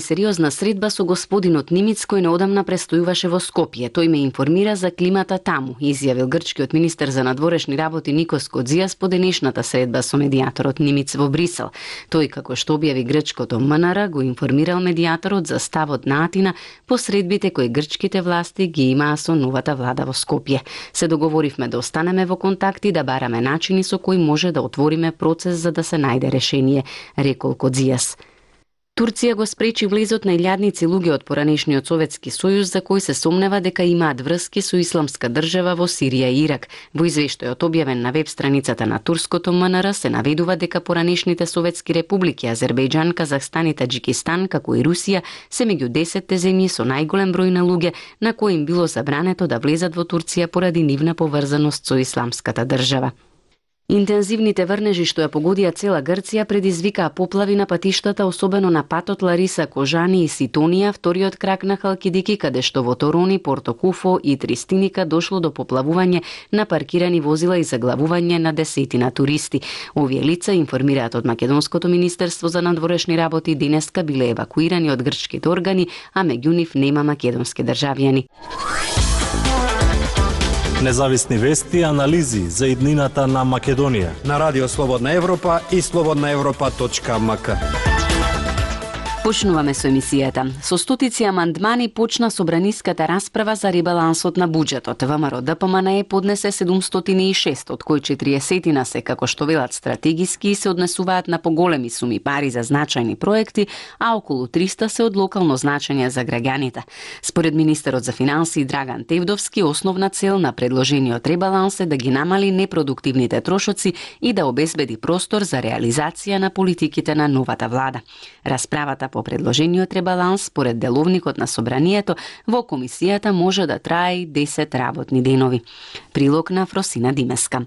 Сериозна средба со господинот Нимиц кој неодамна престојуваше во Скопје. Тој ме информира за климата таму, изјавил грчкиот министер за надворешни работи Никос Кодзијас по денешната средба со медијаторот Нимиц во Брисел. Тој, како што објави грчкото МНР, го информирал медијаторот за ставот на Атина по средбите кои грчките власти ги имаа со новата влада во Скопје. Се договоривме да останеме во контакт и да бараме начини со кои може да отвориме процес за да се најде решение, рекол Кодзијас. Турција го спречи влезот на илјадници луѓе од поранешниот Советски сојуз за кои се сомнева дека имаат врски со исламска држава во Сирија и Ирак. Во извештајот објавен на веб страницата на турското МНР се наведува дека поранешните советски републики Азербејџан, Казахстан и Таџикистан, како и Русија, се меѓу 10 земји со најголем број на луѓе на кои им било забрането да влезат во Турција поради нивна поврзаност со исламската држава. Интензивните врнежи што ја погодија цела Грција предизвикаа поплави на патиштата, особено на патот Лариса-Кожани и Ситонија, вториот крак на Халкидики, каде што во Торони, Портокуфо и Тристиника дошло до поплавување на паркирани возила и заглавување на десетина туристи. Овие лица, информираат од Македонското министерство за надворешни работи, денеска биле евакуирани од грчките органи, а меѓу нив нема македонски државјани. Независни вести и анализи за иднината на Македонија на Радио Слободна Европа и slobodnaevropa.mk. Почнуваме со емисијата. Со стотици амандмани почна собраниската расправа за ребалансот на буџетот. ВМРО ДПМНЕ поднесе 706, од кои 40 се, како што велат, стратегиски и се однесуваат на поголеми суми пари за значајни проекти, а околу 300 се од локално значење за граѓаните. Според министерот за финансии Драган Тевдовски, основна цел на предложениот ребаланс е да ги намали непродуктивните трошоци и да обезбеди простор за реализација на политиките на новата влада. Расправата по предложениот ребаланс, според деловникот на собранието, во комисијата може да трае 10 работни денови. Прилог на Фросина Димеска.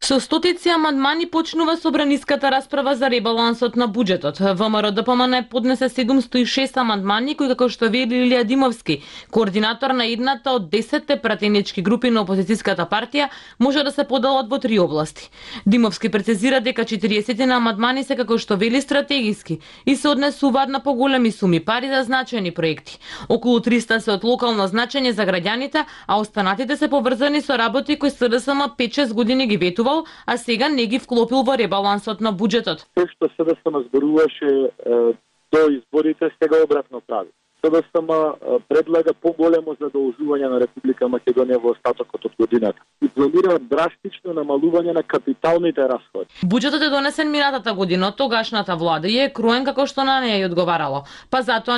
Со стотици амандмани почнува собраниската расправа за ребалансот на буџетот. ВМРО ДПМНЕ поднесе 706 амандмани кои, како што вели Илија Димовски, координатор на едната од 10 пратенички групи на опозицијската партија, може да се поделат во 3 области. Димовски прецизира дека 40 на амандмани се, како што вели, стратегиски и се однесуваат на поголеми суми пари за значајни проекти. Околу 300 се од локално значење за граѓаните, а останатите се поврзани со работи кои СДСМ 5-6 години ги ветува, а сега не ги вклопил во ребалансот на буџетот. Тоа што СДСМ зборуваше до изборите, сега обратно прави. СДСМ предлага поголемо задолжување на Република Македонија во остатокот од годината и планира драстично намалување на капиталните расходи. Буџетот е донесен минатата година од тогашната влада и е кроен како што на неја ја одговарало. Па затоа